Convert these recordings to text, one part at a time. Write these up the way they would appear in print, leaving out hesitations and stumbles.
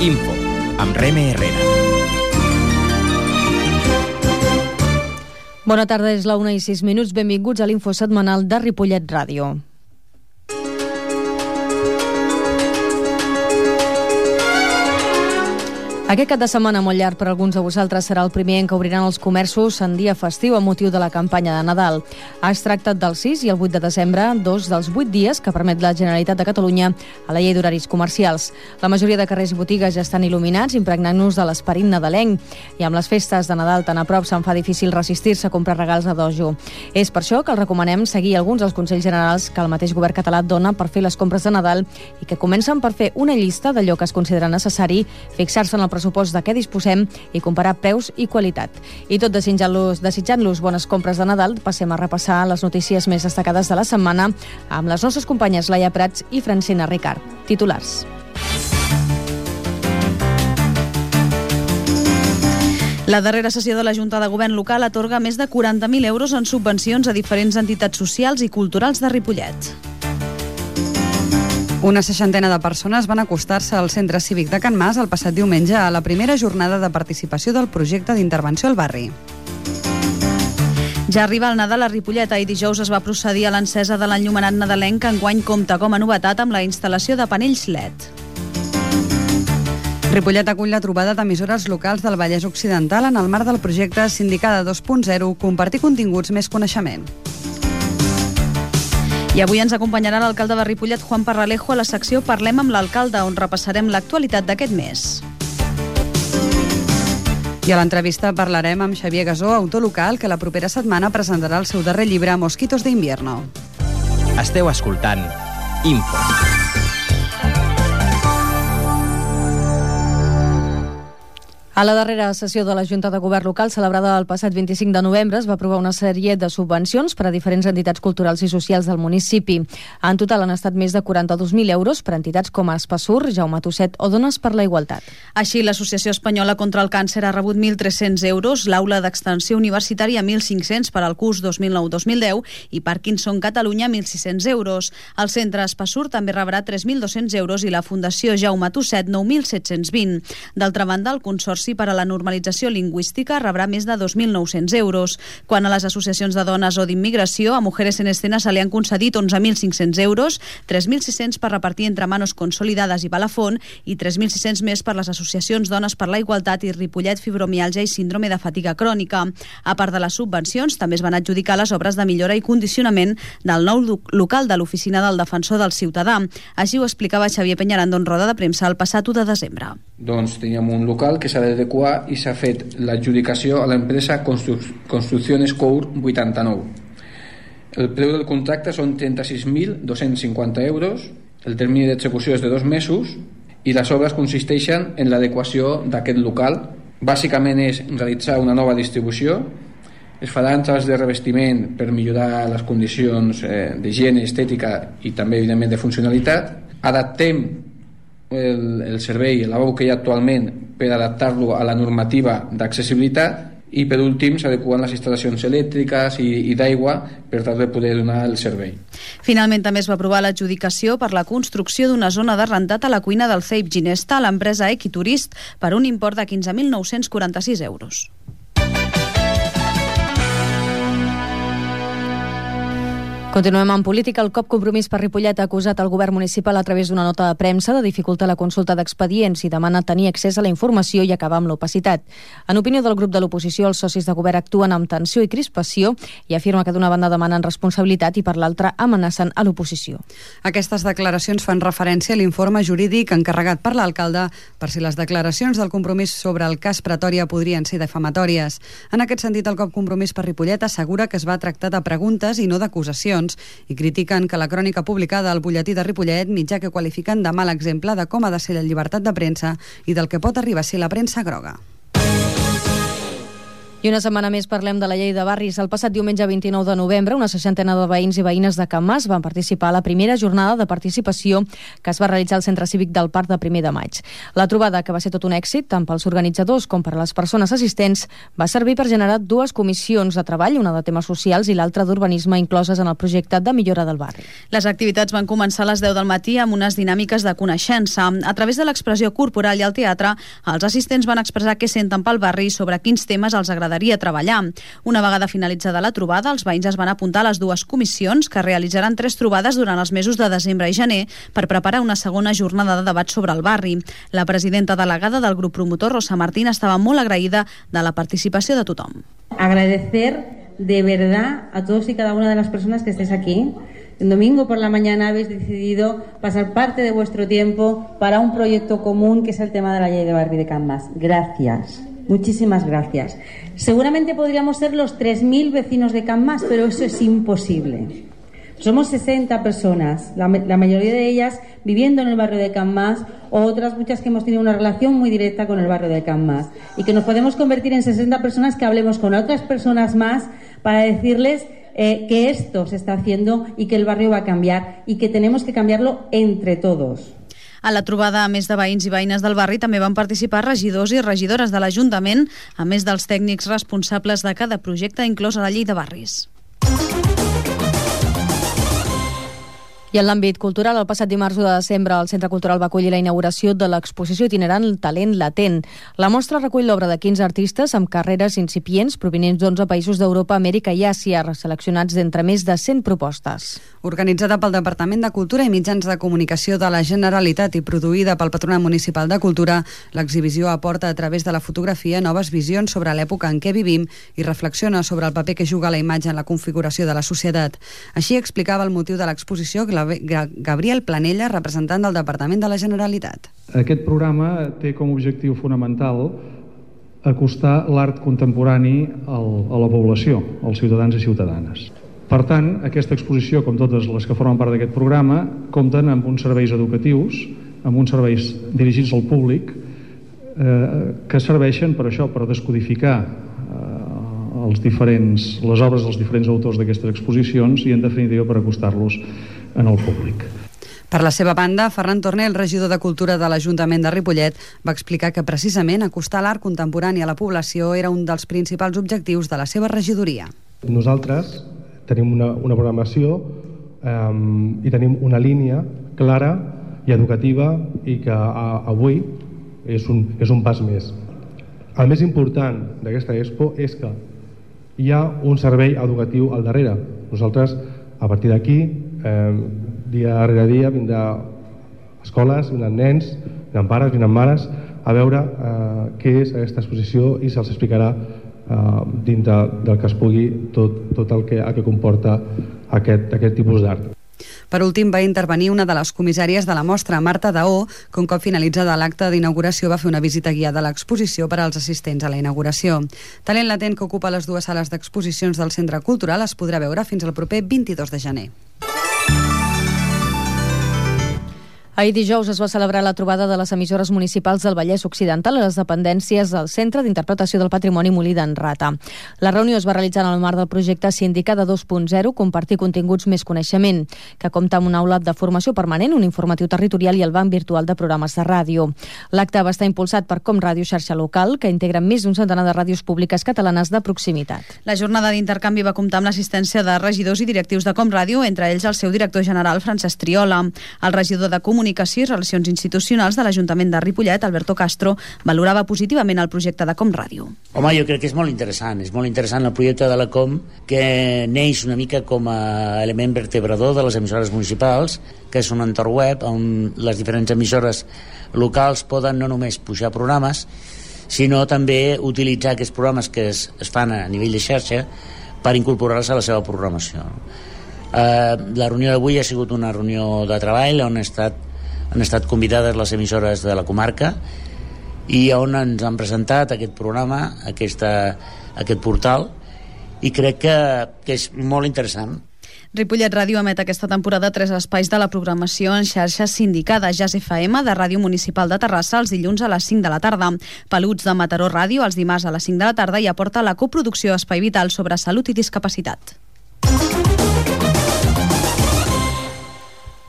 Info, amb Reme Herrera. Bona tarda, és la 1:06. Benvinguts a l'Info setmanal de Ripollet Ràdio. Aquest cap de setmana molt llarg per alguns de vosaltres serà el primer en què obriran els comerços en dia festiu a motiu de la campanya de Nadal. Es tracta del 6 i el 8 de desembre, dos dels 8 dies que permet la Generalitat de Catalunya a la llei d'horaris comercials. La majoria de carrers i botigues ja estan il·luminats, impregnant-nos de l'esperit nadalenc. I amb les festes de Nadal tan a prop se'n fa difícil resistir-se a comprar regals a dojo. És per això que els recomanem seguir alguns dels consells generals que el mateix govern català dona per fer les compres de Nadal i que comencen per fer una llista d'allò que es considera necessari, fixar-se en el pressupost de què disposem i comparar preus i qualitat. I tot desitjant-los bones compres de Nadal, passem a repassar les notícies més destacades de la setmana amb les nostres companyes Laia Prats i Francina Ricard. Titulars. La darrera sessió de la Junta de Govern local atorga més de 40.000 euros en subvencions a diferents entitats socials i culturals de Ripollet. Una 60 de persones van acostar-se al Centre Cívic de Can Mas el passat diumenge a la primera jornada de participació del projecte d'intervenció al barri. Ja arriba el Nadal a Ripollet. Ahir dijous es va procedir a l'encesa de l'enllumenat nadalenc, que enguany compta com a novetat amb la instal·lació de panells LED. Ripollet acull la trobada d'emissores locals del Vallès Occidental en el marc del projecte Sindicada 2.0, compartir continguts més coneixement. I avui ens acompanyarà l'alcalde de Ripollet, Juan Parralejo, a la secció Parlem amb l'alcalde, on repassarem l'actualitat d'aquest mes. I a l'entrevista parlarem amb Xavier Gasó, autor local, que la propera setmana presentarà el seu darrer llibre, Mosquitos de invierno. Esteu escoltant Info. A la darrera sessió de la Junta de Govern local, celebrada el passat 25 de novembre, es va aprovar una sèrie de subvencions per a diferents entitats culturals i socials del municipi. En total han estat més de 42.000 euros per a entitats com Espassur, Jaume Tusset o Dones per la Igualtat. Així, l'Associació Espanyola contra el Càncer ha rebut 1.300 euros, l'Aula d'Extensió Universitària 1.500 per al curs 2009-2010 i Parkinson Catalunya 1.600 euros. El Centre Espassur també rebrà 3.200 euros i la Fundació Jaume Tusset 9.720. D'altra banda, el Consorci per a la Normalització Lingüística rebrà més de 2.900 euros. Quant a les associacions de dones o d'immigració, a Mujeres en Escena se li han concedit 11.500 euros, 3.600 per repartir entre Manos Consolidadas i Balafón i 3.600 més per les associacions Dones per la Igualtat i Ripollet Fibromiàlgia i Síndrome de Fatiga Crònica. A part de les subvencions, també es van adjudicar les obres de millora i condicionament del nou local de l'Oficina del Defensor del Ciutadà. Així ho explicava Xavier Peñarando en roda de premsa el passat 1 de desembre. Doncs teníem un local que s'ha d'adequar i s'ha fet l'adjudicació a l'empresa Construcciones Cour 89. El preu del contracte són 36.250 euros, el termini d'execució és de 2 mesos i les obres consisteixen en l'adequació d'aquest local. Bàsicament és realitzar una nova distribució, es faran treballs de revestiment per millorar les condicions d'higiene, estètica i també evidentment de funcionalitat. Adaptem el servei, el lavabo que hi ha actualment, per adaptar-lo a la normativa d'accessibilitat i per últim s'adequen les instal·lacions elèctriques i d'aigua per tal de poder donar el servei. Finalment també es va aprovar l'adjudicació per la construcció d'una zona de rentat a la cuina del CEIP Ginesta a l'empresa Equiturist per un import de 15.946 euros. Continuem en política. El COP Compromís per Ripollet ha acusat el govern municipal a través d'una nota de premsa de dificultar la consulta d'expedients i demana tenir accés a la informació i acabar amb l'opacitat. En opinió del grup de l'oposició, els socis de govern actuen amb tensió i crispació i afirma que d'una banda demanen responsabilitat i per l'altra amenacen a l'oposició. Aquestes declaracions fan referència a l'informe jurídic encarregat per l'alcalde per si les declaracions del Compromís sobre el cas Pretòria podrien ser defamatòries. En aquest sentit, el COP Compromís per Ripollet assegura que es va tractar de preguntes i no d'acusacions i critiquen que la crònica publicada al butlletí de Ripollet, mitjà que qualifiquen de mal exemple de com ha de ser la llibertat de premsa i del que pot arribar a ser la premsa groga. I una setmana més parlem de la llei de barris. El passat diumenge 29 de novembre, una 60ena de veïns i veïnes de Can Mas van participar a la primera jornada de participació que es va realitzar al Centre Cívic del Parc de 1 de maig. La trobada, que va ser tot un èxit, tant pels organitzadors com per a les persones assistents, va servir per generar 2 comissions de treball, una de temes socials i l'altra d'urbanisme, incloses en el projecte de millora del barri. Les activitats van començar a les 10 del matí amb unes dinàmiques de coneixença. A través de l'expressió corporal i el teatre, els assistents van expressar què senten pel barri i sobre quins temes els agradaria treballar. Una vegada finalitzada la trobada, els veïns es van apuntar a les 2 comissions que realitzaran 3 trobades durant els mesos de desembre i gener per preparar una segona jornada de debat sobre el barri. La presidenta delegada del grup promotor, Rosa Martín, estava molt agraïda de la participació de tothom. Agradecer de verdad a todos y cada una de las personas que estéis aquí. El domingo por la mañana habéis decidido pasar parte de vuestro tiempo para un proyecto común que es el tema de la ley de barri de Can Mas. Gracias. Muchísimas gracias. Seguramente podríamos ser los 3.000 vecinos de Can Mas, pero eso es imposible. Somos 60 personas, la mayoría de ellas viviendo en el barrio de Can Mas, o otras muchas que hemos tenido una relación muy directa con el barrio de Can Mas. Y que nos podemos convertir en 60 personas que hablemos con otras personas más para decirles que esto se está haciendo y que el barrio va a cambiar y que tenemos que cambiarlo entre todos. A la trobada, a més de veïns i veïnes del barri, també van participar regidors i regidores de l'Ajuntament, a més dels tècnics responsables de cada projecte inclòs a la llei de barris. I en l'àmbit cultural, el passat dimarts 1 de desembre, el Centre Cultural va acollir la inauguració de l'exposició itinerant Talent Latent. La mostra recull l'obra de 15 artistes amb carreres incipients provinents d'11 països d'Europa, Amèrica i Àsia, seleccionats d'entre més de 100 propostes. Organitzada pel Departament de Cultura i Mitjans de Comunicació de la Generalitat i produïda pel Patronat Municipal de Cultura, l'exhibició aporta a través de la fotografia noves visions sobre l'època en què vivim i reflexiona sobre el paper que juga la imatge en la configuració de la societat. Així explicava el motiu de l'exposició Gabriel Planella, representant del Departament de la Generalitat. Aquest programa té com a objectiu fonamental acostar l'art contemporani a la població, als ciutadans i ciutadanes. Per tant, aquesta exposició, com totes les que formen part d'aquest programa, compten amb uns serveis educatius, amb uns serveis dirigits al públic, que serveixen per això, per descodificar les obres dels diferents autors d'aquestes exposicions i, en definitiva, per acostar-los en el públic. Per la seva banda, Ferran Torner, el regidor de Cultura de l'Ajuntament de Ripollet, va explicar que precisament acostar l'art contemporani a la població era un dels principals objectius de la seva regidoria. Nosaltres tenim una programació i tenim una línia clara i educativa i que avui és un pas més. El més important d'aquesta expo és que hi ha un servei educatiu al darrere. Nosaltres, a partir d'aquí, dia darrere dia, vindrà escoles, vindran nens, vindran pares, vindran mares, a veure què és aquesta exposició i se'ls explicarà dintre del que es pugui tot el que comporta aquest tipus d'art. Per últim, va intervenir una de les comissàries de la mostra, Marta Daó, que un cop finalitzada l'acte d'inauguració va fer una visita guiada a l'exposició per als assistents a la inauguració. Talent Latent, que ocupa les 2 sales d'exposicions del Centre Cultural, es podrà veure fins al proper 22 de gener. Ahir dijous es va celebrar la trobada de les emissores municipals del Vallès Occidental a les dependències del Centre d'Interpretació del Patrimoni Molí d'en Rata. La reunió es va realitzar en el marc del projecte Sindicada 2.0, Compartir continguts més coneixement, que compta amb un aula de formació permanent, un informatiu territorial i el banc virtual de programes de ràdio. L'acte va estar impulsat per Com Ràdio Xarxa Local, que integra més d'un centenar de ràdios públiques catalanes de proximitat. La jornada d'intercanvi va comptar amb l'assistència de regidors i directius de Com Ràdio, entre ells el seu director general, Francesc Triola. El regidor de Comunicació i Relacions Institucionals de l'Ajuntament de Ripollet, Alberto Castro, valorava positivament el projecte de Com Ràdio. Home, jo crec que és molt interessant el projecte de la Com, que neix una mica com a element vertebrador de les emissores municipals, que és un entorn web on les diferents emissores locals poden no només pujar programes, sinó també utilitzar aquests programes que es fan a nivell de xarxa per incorporar-los a la seva programació. La reunió d'avui ha sigut una reunió de treball on han estat convidades les emissores de la comarca i on ens han presentat aquest programa, aquest portal, i crec que és molt interessant. Ripollet Ràdio emet aquesta temporada 3 espais de la programació en xarxa sindicada. Jazz FM, de Ràdio Municipal de Terrassa, els dilluns a les 5 de la tarda. Peluts, de Mataró Ràdio, els dimarts a les 5 de la tarda, i aporta la coproducció Espai Vital sobre salut i discapacitat.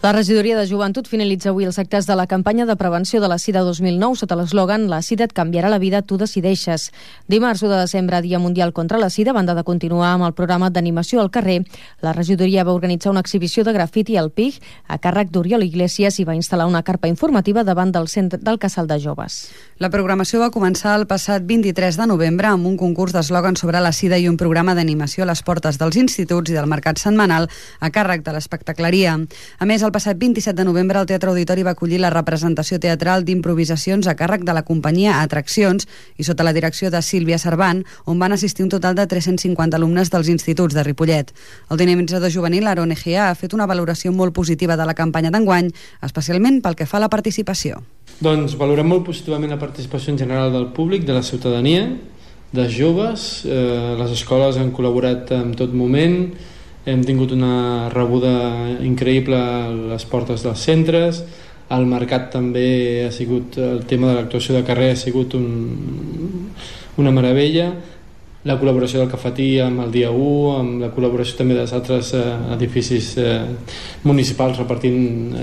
La regidoria de Joventut finalitza avui els actes de la campanya de prevenció de la Sida 2009 sota l'eslògan "La Sida et canviarà la vida, tu decideixes". Dimarts 1 de desembre, Dia Mundial contra la Sida, a banda de continuar amb el programa d'animació al carrer, la regidoria va organitzar una exhibició de grafiti al PIG a càrrec d'Oriol Iglesias i va instal·lar una carpa informativa davant del centre del Casal de Joves. La programació va començar el passat 23 de novembre amb un concurs d'eslògan sobre la Sida i un programa d'animació a les portes dels instituts i del mercat setmanal a càrrec de l'espectacleria. A més, el passat 27 de novembre el Teatre Auditori va acollir la representació teatral d'improvisacions a càrrec de la companyia Atraccions i sota la direcció de Sílvia Servant, on van assistir un total de 350 alumnes dels instituts de Ripollet. El dinamitzador juvenil Aaron Egea ha fet una valoració molt positiva de la campanya d'enguany, especialment pel que fa a la participació. Doncs valorem molt positivament la participació en general del públic, de la ciutadania, dels joves. Les escoles han col·laborat en tot moment, hem tingut una rebuda increïble a les portes dels centres, al mercat també ha sigut, el tema de l'actuació de carrer ha sigut una meravella, la col·laboració del Cafetí amb el dia 1, amb la col·laboració també dels altres edificis municipals repartint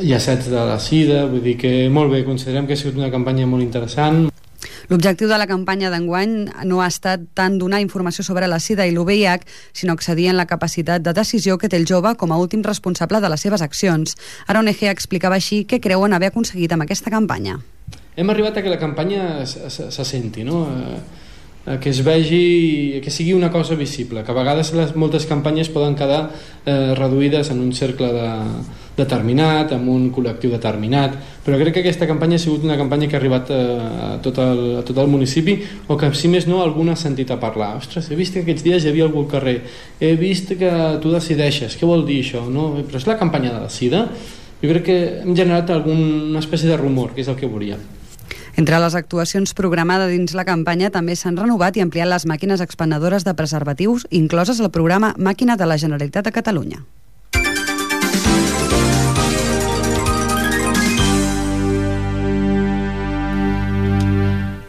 llacets de la Sida, vull dir que molt bé, considerem que ha sigut una campanya molt interessant. L'objectiu de la campanya d'enguany no ha estat tant donar informació sobre la Sida i l'UVIH, sinó accedir en la capacitat de decisió que té el jove com a últim responsable de les seves accions. Aaron Egea explicava així què creuen haver aconseguit amb aquesta campanya. Hem arribat a que la campanya se senti, no? Que es vegi, que sigui una cosa visible, que a vegades moltes campanyes poden quedar reduïdes en un cercle determinat, amb un col·lectiu determinat, però crec que aquesta campanya ha sigut una campanya que ha arribat a tot el municipi, o que si més no algú ha sentit a parlar. Ostres, he vist que aquests dies hi havia algú al carrer, he vist que tu decideixes, què vol dir això? No? Però és la campanya de la Sida. Jo crec que hem generat una espècie de rumor, que és el que volíem. Entre les actuacions programades dins la campanya també s'han renovat i ampliat les màquines expendedores de preservatius incloses al programa Màquina de la Generalitat de Catalunya.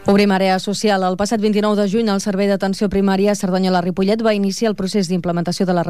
Obrim àrea social. El passat 29 de juny, el Servei d'Atenció Primària Cerdanyola-Ripollet va iniciar el procés d'implementació de la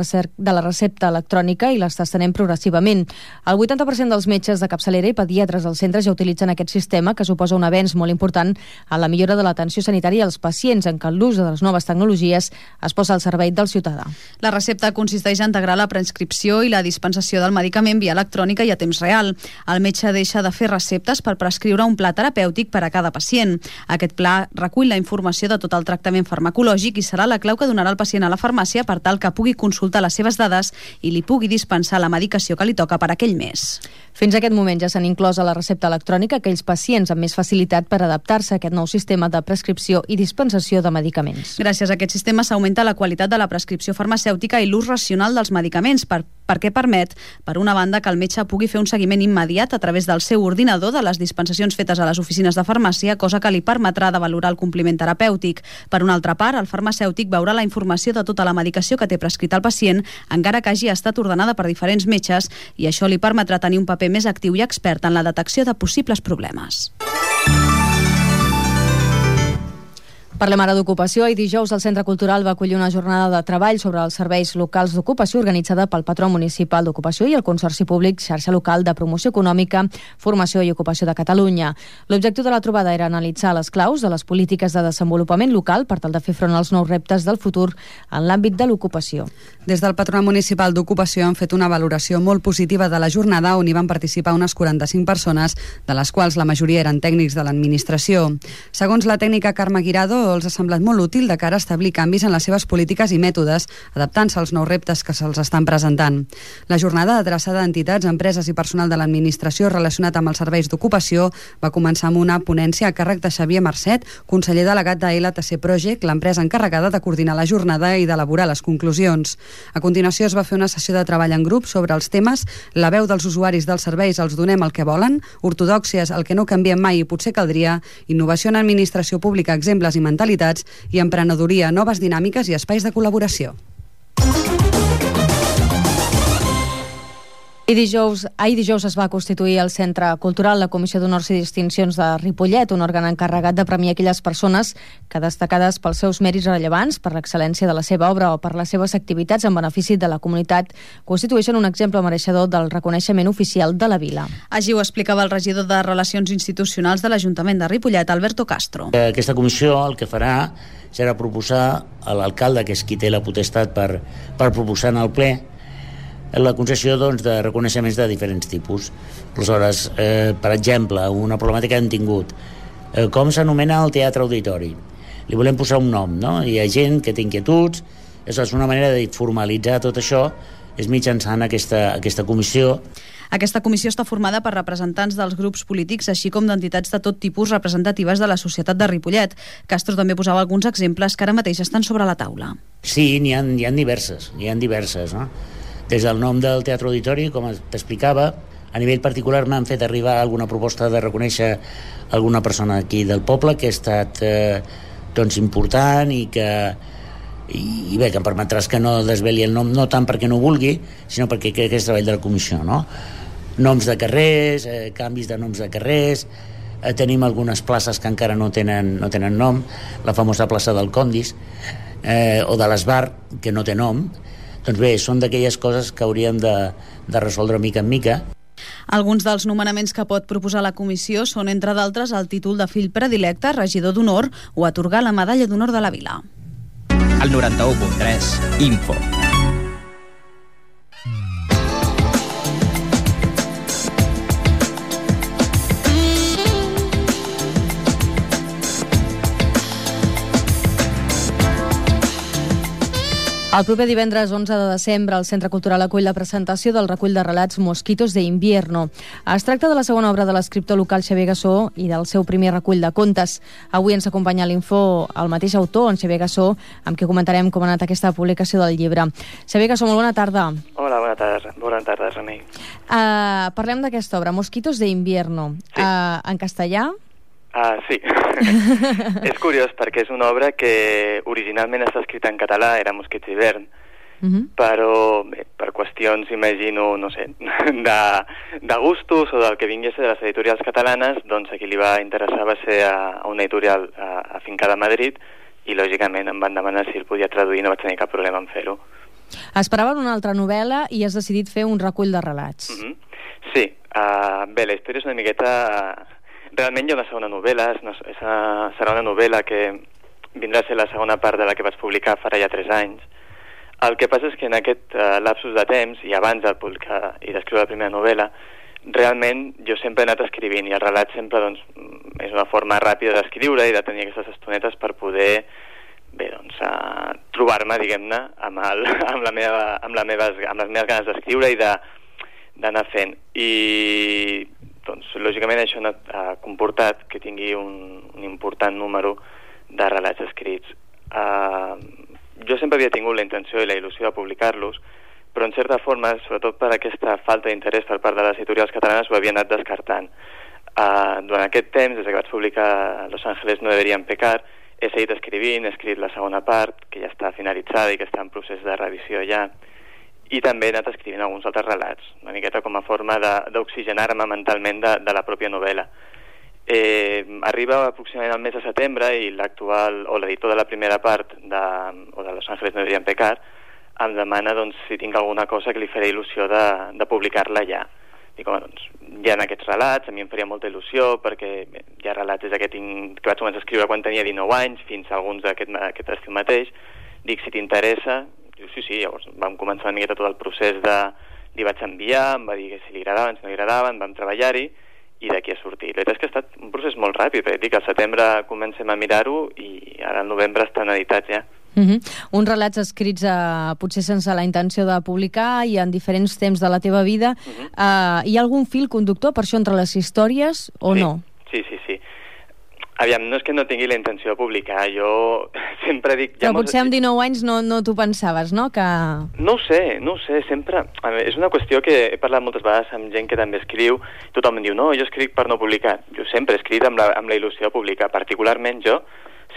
recepta electrònica i l'estenem progressivament. El 80% dels metges de capçalera i pediatres al centre ja utilitzen aquest sistema, que suposa un avenç molt important en la millora de l'atenció sanitària als pacients, en què l'ús de les noves tecnologies es posa al servei del ciutadà. La recepta consisteix a integrar la prescripció i la dispensació del medicament via electrònica i a temps real. El metge deixa de fer receptes per prescriure un pla terapèutic per a cada pacient. Aquest pla recull la informació de tot el tractament farmacològic i serà la clau que donarà el pacient a la farmàcia per tal que pugui consultar les seves dades i li pugui dispensar la medicació que li toca per aquell mes. Fins a aquest moment ja s'han inclòs a la recepta electrònica aquells pacients amb més facilitat per adaptar-se a aquest nou sistema de prescripció i dispensació de medicaments. Gràcies a aquest sistema s'augmenta la qualitat de la prescripció farmacèutica i l'ús racional dels medicaments, perquè permet, per una banda, que el metge pugui fer un seguiment immediat a través del seu ordinador de les dispensacions fetes a les oficines de farmàcia, cosa que li permetrà de valorar el compliment terapèutic. Per una altra part, el farmacèutic veurà la informació de tota la medicació que té prescrita el pacient, encara que hagi estat ordenada per diferents metges, i això li permetrà tenir un paper més actiu i expert en la detecció de possibles problemes. Parlem ara d'ocupació i dijous el Centre Cultural va acollir una jornada de treball sobre els serveis locals d'ocupació organitzada pel Patró Municipal d'Ocupació i el Consorci Públic Xarxa Local de Promoció Econòmica, Formació i Ocupació de Catalunya. L'objectiu de la trobada era analitzar les claus de les polítiques de desenvolupament local per tal de fer front als nous reptes del futur en l'àmbit de l'ocupació. Des del Patronat Municipal d'Ocupació han fet una valoració molt positiva de la jornada on hi van participar unes 45 persones, de les quals la majoria eren tècnics de l'administració. Segons la tècnica Carme Guirado, els ha semblat molt útil de cara a establir canvis en les seves polítiques i mètodes, adaptant-se als nous reptes que se'ls estan presentant. La jornada, adreçada a entitats, empreses i personal de l'administració relacionat amb els serveis d'ocupació, va començar amb una ponència a càrrec de Xavier Marcet, conseller delegat de LTC Project, l'empresa encarregada de coordinar la jornada i d'elaborar les conclusions. A continuació es va fer una sessió de treball en grup sobre els temes la veu dels usuaris dels serveis els donem el que volen, ortodòxies el que no canviem mai i potser caldria, innovació en administració pública, exemples i mentalitats i emprenedoria, noves dinàmiques i espais de col·laboració. Ahir dijous es va constituir el Centre Cultural la Comissió d'Honors i Distincions de Ripollet, un òrgan encarregat de premiar aquelles persones que, destacades pels seus mèrits rellevants, per l'excel·lència de la seva obra o per les seves activitats en benefici de la comunitat, constitueixen un exemple mereixedor del reconeixement oficial de la vila. Així ho explicava el regidor de Relacions Institucionals de l'Ajuntament de Ripollet, Alberto Castro. Aquesta comissió el que farà serà proposar a l'alcalde, que és qui té la potestat per proposar en el ple, la concessió de reconeixements de diferents tipus. Aleshores, per exemple, una problemàtica que hem tingut, com s'anomena el teatre auditori? Li volem posar un nom, no? Hi ha gent que té inquietuds, és una manera de formalitzar tot això, és mitjançant aquesta comissió. Aquesta comissió està formada per representants dels grups polítics, així com d'entitats de tot tipus representatives de la societat de Ripollet. Castro també posava alguns exemples que ara mateix estan sobre la taula. Sí, n'hi ha diverses, no? Des del nom del Teatre Auditori, com t'explicava, a nivell particular m'han fet arribar alguna proposta de reconèixer alguna persona aquí del poble que ha estat important i bé, que em permetràs que no desveli el nom, no tant perquè no vulgui, sinó perquè crec que és treball de la comissió, no? Noms de carrers, canvis de noms de carrers, tenim algunes places que encara no tenen nom, la famosa plaça del Condis, o de l'Esbar, que no té nom. Doncs bé, són d'aquelles coses que hauríem de resoldre mica en mica. Alguns dels nomenaments que pot proposar la comissió són, entre d'altres, el títol de fill predilecte, regidor d'honor, o atorgar la medalla d'honor de la vila. El 91.3 Info. El proper divendres 11 de desembre el Centre Cultural acull la presentació del recull de relats Mosquitos de Invierno. Es tracta de la segona obra de l'escriptor local Xavier Gassó i del seu primer recull de contes. Avui ens acompanya a l'Info el mateix autor, en Xavier Gassó, amb qui comentarem com ha anat aquesta publicació del llibre. Xavier Gassó, molt bona tarda. Hola, bona tarda, Remei. Parlem d'aquesta obra, Mosquitos de Invierno. Sí. En castellà? Sí. És curiós perquè és una obra que originalment està escrita en català, era Mosquits d'hivern, però bé, per qüestions, imagino, no sé, de gustos o del que vingués de les editorials catalanes, doncs a qui li va interessar va ser a una editorial afincada a Madrid i lògicament em van demanar si el podia traduir, no vaig tenir cap problema en fer-ho. Esperaven una altra novel·la i has decidit fer un recull de relats. Sí, bé, la història és una miqueta... Realment hi ha una segona novel·la, serà una novel·la que vindrà a ser la segona part de la que vaig publicar farà ja 3 anys. El que passa és que en aquest lapsus de temps, i abans de publicar i d'escriure la primera novel·la, realment jo sempre he anat escrivint, i el relat sempre doncs, és una forma ràpida d'escriure i de tenir aquestes estonetes per poder trobar-me, diguem-ne, amb les meves ganes d'escriure i d'anar fent. I doncs, lògicament això ha comportat que tingui un important número de relats escrits. Jo sempre havia tingut la intenció i la il·lusió de publicar-los, però en certa forma, sobretot per aquesta falta d'interès per part de les editorials catalanes, ho havia anat descartant. Durant aquest temps, des que vaig publicar Los Ángeles no deberían pecar, he seguit escrivint, he escrit la segona part, que ja està finalitzada i que està en procés de revisió ja, i també he anat escrivint alguns altres relats, una miqueta com a forma d'oxigenar-me mentalment de la pròpia novel·la. Arriba aproximadament al mes de setembre i l'actual, o l'editor de la primera part de Los Ángeles no deberían pecar, em demana si tinc alguna cosa que li faré il·lusió de publicar-la ja. Dic, doncs, hi ha aquests relats, a mi em faria molta il·lusió perquè hi ha relats des que vaig començar a escriure quan tenia 19 anys fins a alguns d'aquest estiu mateix. Dic, si t'interessa... Diu, sí, llavors vam començar una miqueta tot el procés li vaig enviar, em va dir que si li agradaven, si no li agradaven, vam treballar-hi i d'aquí ha sortit. La veritat és que ha estat un procés molt ràpid, perquè dic, al setembre comencem a mirar-ho i ara al novembre estan editats ja. Uns relats escrits potser sense la intenció de publicar i en diferents temps de la teva vida. Hi ha algun fil conductor per això entre les històries o no? Sí. Aviam, no és que no tingui la intenció de publicar, jo sempre dic... Però potser amb 19 anys no t'ho pensaves, no? No ho sé, sempre... És una qüestió que he parlat moltes vegades amb gent que també escriu, tothom em diu, no, jo escric per no publicar. Jo sempre he escrit amb la il·lusió de publicar, particularment jo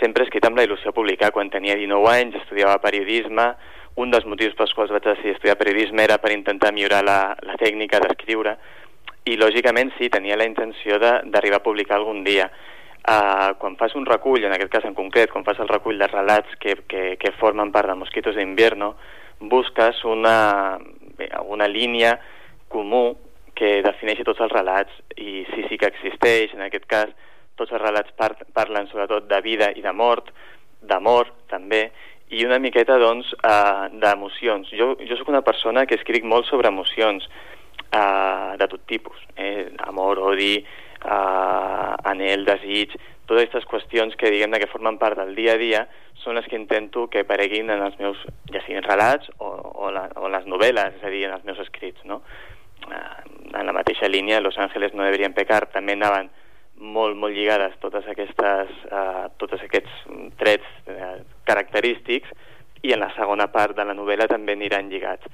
sempre he escrit amb la il·lusió de publicar. Quan tenia 19 anys estudiava periodisme, un dels motius pels quals vaig decidir estudiar periodisme era per intentar millorar la tècnica d'escriure, i lògicament sí, tenia la intenció d'arribar a publicar algun dia. Quan fas un recull, en aquest cas en concret, quan fas el recull de relats que formen part de Mosquitos de Invierno, busques una línia comú que defineixi tots els relats, i sí que existeix. En aquest cas, tots els relats parlen sobretot de vida i de mort, d'amor també, i una miqueta, doncs, d'emocions. Jo sóc una persona que escric molt sobre emocions de tot tipus, amor, odi, anhel, desig, totes aquestes qüestions que diguem-ne que formen part del dia a dia són les que intento que apareguin en els meus, ja siguin relats o les novel·les, és a dir, en els meus escrits, no? En la mateixa línia, Los Ángeles no deberien pecar, també anaven molt lligades tots aquests trets característics, i en la segona part de la novel·la també aniran lligats.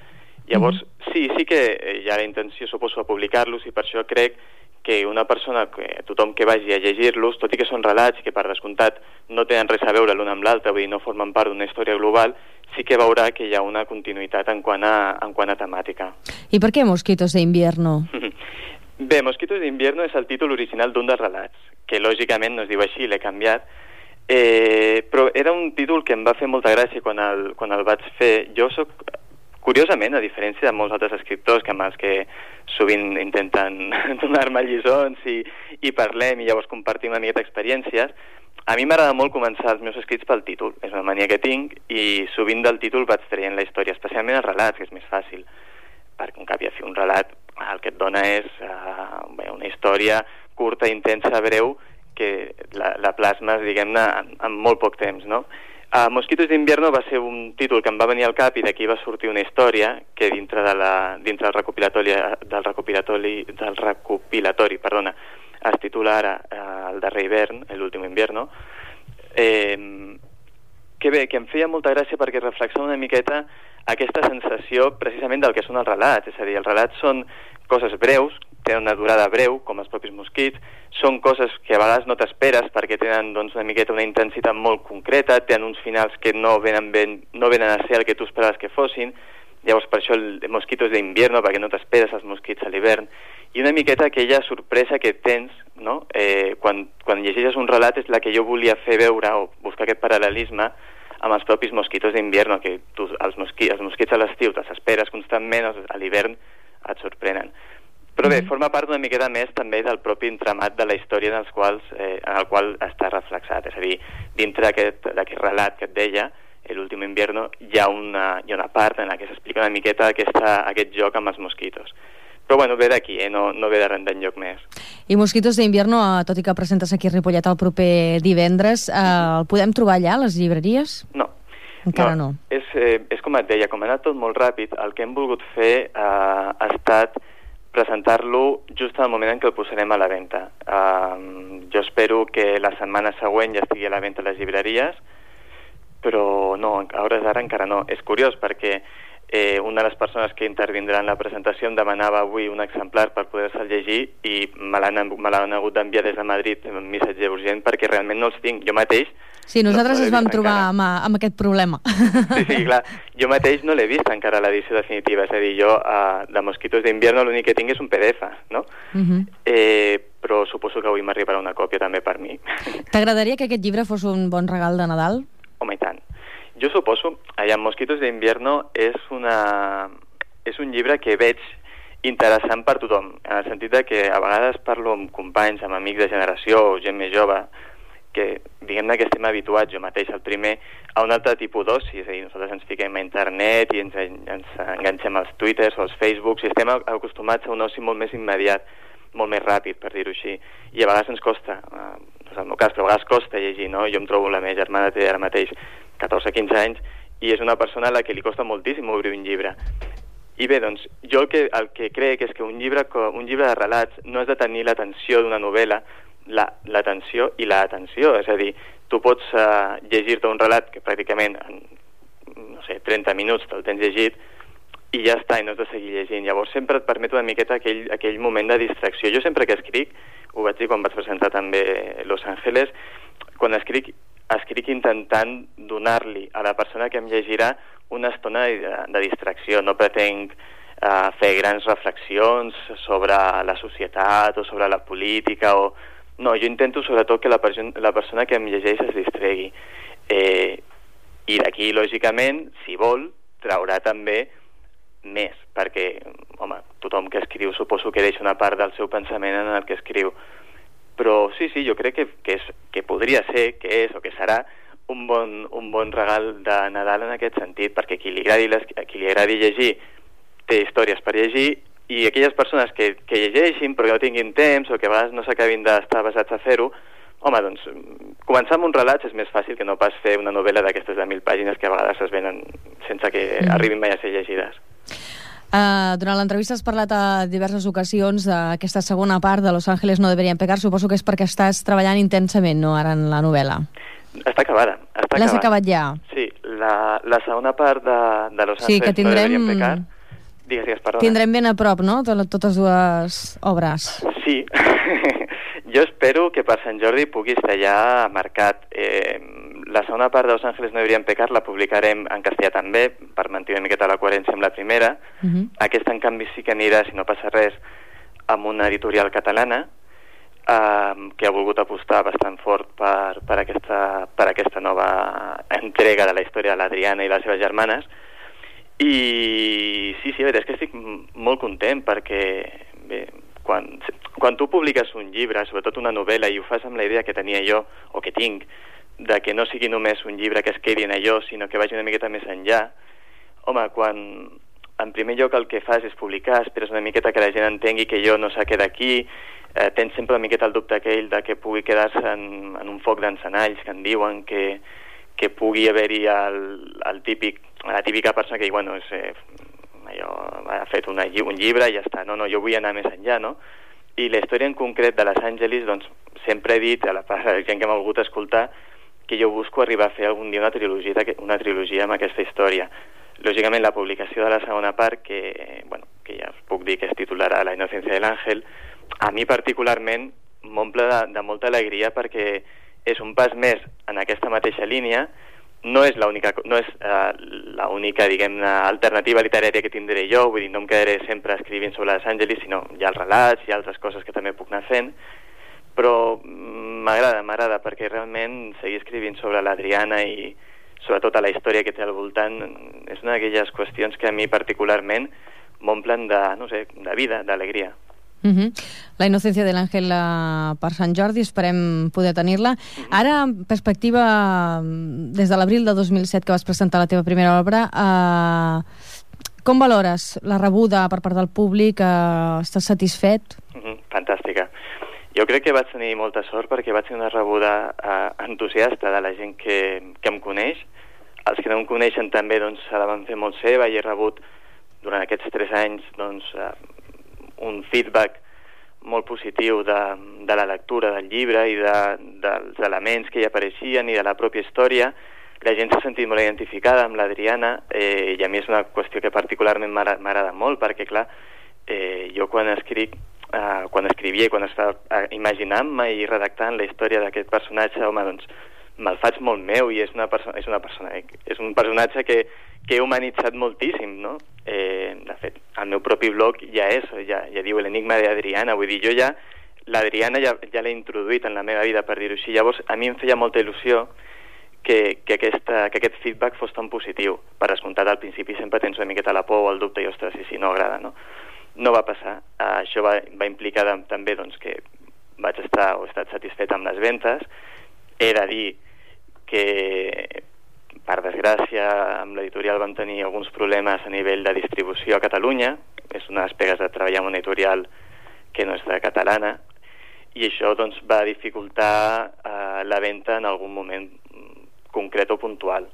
Llavors, sí que hi ha la intenció, suposo, de publicar-los, i per això crec que una persona, tothom que vagi a llegir-los, tot i que són relats que per descomptat no tenen res a veure l'un amb l'altre, vull dir, no formen part d'una història global, sí que veurà que hi ha una continuïtat en quant a temàtica. I per què Mosquitos de Invierno? Bé, Mosquitos de Invierno és el títol original d'un dels relats, que lògicament no es diu així, l'he canviat, però era un títol que em va fer molta gràcia quan el vaig fer. Jo soc, curiosament, a diferència de molts altres escriptors amb els que sovint intenten donar-me lliçons i parlem i llavors compartim una miqueta experiències, a mi m'agrada molt començar els meus escrits pel títol. És una mania que tinc, i sovint del títol vaig traient la història, especialment els relats, que és més fàcil, perquè un cap i a fi un relat el que et dona és una història curta, intensa, breu, que la plasmes, diguem-ne, en molt poc temps, no? Mosquitos d'Invierno va ser un títol que em va venir al cap, i d'aquí va sortir una història que dintre del recopilatori, es titula ara El darrer hivern, l'últim invierno, que bé, que em feia molta gràcia perquè reflexiona una miqueta aquesta sensació precisament del que són els relats. És a dir, els relats són coses breus, tenen una durada breu, com els propis mosquits, són coses que a vegades no t'esperes perquè tenen, doncs, una miqueta una intensitat molt concreta, tenen uns finals que no venen a ser el que tu esperaves que fossin. Llavors per això el Mosquitos d'Invierno, perquè no t'esperes els mosquits a l'hivern, i una miqueta aquella sorpresa que tens, no? Quan llegeixes un relat és la que jo volia fer veure, o buscar aquest paral·lelisme amb els propis Mosquitos d'Invierno, que tu, els mosquits a l'estiu te'ls esperes constantment, a l'hivern et sorprenen. Però bé, forma part una miqueta més també del propi entramat de la història en el qual està reflexat. És a dir, dintre d'aquest relat que et deia, l'últim invierno, hi ha una part en la que s'explica una miqueta aquest joc amb els mosquitos. Però bueno, ve d'aquí, no ve de res d'enlloc més. I Mosquitos d'Invierno, tot i que presentes aquí a Ripollet el proper divendres, el podem trobar allà, a les llibreries? No. Encara no. És com et deia, com ha anat tot molt ràpid, el que hem volgut fer ha estat presentar-lo just en el moment en què el posarem a la venda. Jo espero que la setmana següent ja estigui a la venda a les llibreries, però no, a hores d'ara encara no. És curiós perquè una de les persones que intervindrà en la presentació em demanava avui un exemplar per poder-se'l llegir, i me l'han hagut d'enviar des de Madrid un missatge urgent perquè realment no els tinc. Jo mateix... Sí, nosaltres ens vam trobar amb aquest problema. Sí, clar. Jo mateix no l'he vist encara l'edició definitiva. És a dir, jo de Mosquitos d'Invierno l'únic que tinc és un PDF, no? Però suposo que avui m'arribarà una còpia també per mi. T'agradaria que aquest llibre fos un bon regal de Nadal? Home, i tant. Jo suposo, allà Mosquitos d'Invierno és un llibre que veig interessant per tothom, en el sentit de que a vegades parlo amb companys, amb amics de generació o gent més jove, que diguem-ne que estem habituats, jo mateix el primer, a un altre tipus d'oci. És a dir, nosaltres ens fiquem a internet i ens enganxem als Twitters o als Facebooks, i estem acostumats a un oci molt més immediat, molt més ràpid, per dir-ho així, i a vegades ens costa, no és el meu cas, però a vegades costa llegir, no? Jo em trobo, la meva germana té ara mateix 14-15 anys, i és una persona a la que li costa moltíssim obrir un llibre. I bé, doncs, jo el que crec és que un llibre de relats no has de tenir l'atenció d'una novel·la, l'atenció i l'atenció. És a dir, tu pots llegir-te un relat que pràcticament en, no sé, 30 minuts te'l tens llegit i ja està, i no has de seguir llegint. Llavors sempre et permet una miqueta aquell moment de distracció. Jo sempre que escric, ho vaig dir quan vaig presentar també Los Ángeles, quan escric intentant donar-li a la persona que em llegirà una estona de distracció, no pretenc fer grans reflexions sobre la societat o sobre la política no, jo intento sobretot que la persona que em llegeix es distregui i d'aquí lògicament, si vol, traurà també més, perquè home, tothom que escriu suposo que deixa una part del seu pensament en el que escriu, però sí, jo crec que podria ser, que és o que serà un bon regal de Nadal en aquest sentit, perquè qui li agradi llegir té històries per llegir i aquelles persones que llegeixin però que no tinguin temps o que a vegades no s'acabin d'estar basats a fer-ho, home, doncs començar amb un relat és més fàcil que no pas fer una novel·la d'aquestes de 1.000 pàgines que a vegades es venen sense que arribin mai a ser llegides. Durant l'entrevista has parlat a diverses ocasions d'aquesta segona part de Los Ángeles no deberían pecar, suposo que és perquè estàs treballant intensament, no?, ara en la novel·la. Està acabada. L'has acabat ja? Sí, la segona part de Los Ángeles que tindrem... no deberían pecar. Digues, perdona. Tindrem ben a prop, no?, totes dues obres. Sí. Jo espero que per Sant Jordi pugui estar ja marcat. La segona part de Los Ángeles no deberían pecar la publicarem en castellà també, per mantenir una miqueta la coherència amb la primera. Aquesta, en canvi, sí que anirà, si no passa res, amb una editorial catalana, que ha volgut apostar bastant fort per aquesta nova entrega de la història de l'Adriana i les seves germanes. I sí, la veritat és que estic molt content perquè bé, quan tu publiques un llibre, sobretot una novel·la, i ho fas amb la idea que tenia jo, o que tinc, de que no sigui només un llibre que es quedi en allò, sinó que vagi una miqueta més enllà, home, quan en primer lloc el que fas és publicar, esperes una miqueta que la gent entengui que jo no s'ha quedat aquí, tens sempre una miqueta el dubte aquell de que pugui quedar-se en un foc d'encenalls que en diuen, que pugui haver-hi la típica persona que diu, bueno, ha fet un llibre i ja està. No, jo vull anar més enllà, no? I la història en concret de Los Angeles, doncs, sempre he dit a la gent que m'ha volgut escoltar que jo busco arribar a fer algun dia una trilogia amb aquesta història. Lògicament, la publicació de la segona part, que ja us puc dir que es titularà La inocencia del ángel, a mi particularment m'omple de molta alegria perquè és un pas més en aquesta mateixa línia. No és l'única, diguem-ne, alternativa literària que tindré jo, vull dir, no em quedaré sempre escrivint sobre Los Angeles, sinó hi ha els relats, hi ha altres coses que també puc anar fent, però m'agrada, perquè realment seguir escrivint sobre l'Adriana i sobretot a la història que té al voltant és una d'aquelles qüestions que a mi particularment m'omplen de vida, d'alegria. La inocencia del àngel per Sant Jordi, esperem poder tenir-la. Ara, en perspectiva, des de l'abril de 2007 que vas presentar la teva primera obra, com valores la rebuda per part del públic? Estàs satisfet? Fantàstica. Jo crec que vaig tenir molta sort perquè vaig tenir una rebuda entusiasta de la gent que em coneix. Els que no em coneixen també se la van fer molt seva i he rebut durant aquests 3 anys un feedback molt positiu de la lectura del llibre i dels elements que hi apareixien i de la pròpia història. La gent s'ha sentit molt identificada amb l'Adriana i a mi és una qüestió que particularment m'agrada molt perquè, clar, jo quan escrivia, quan estava imaginant-me i redactant la història d'aquest personatge, home, doncs me'l faig molt meu i és un personatge que he humanitzat moltíssim, no? De fet, al meu propi blog ja diu l'enigma d'Adriana, vull dir, jo ja l'Adriana ja l'he introduït en la meva vida, per dir-ho així. Llavors, a mi em feia molta il·lusió que aquest feedback fos tan positiu. Per descomptat, al principi sempre tens una miqueta la por o el dubte i, ostres, si no agrada, no? No va passar. Això va implicar també que he estat satisfet amb les ventes. He de dir que, per desgràcia, amb l'editorial vam tenir alguns problemes a nivell de distribució a Catalunya. És una de les pegues de treballar en una editorial que no és de catalana, i això va dificultar la venda en algun moment concret o puntual.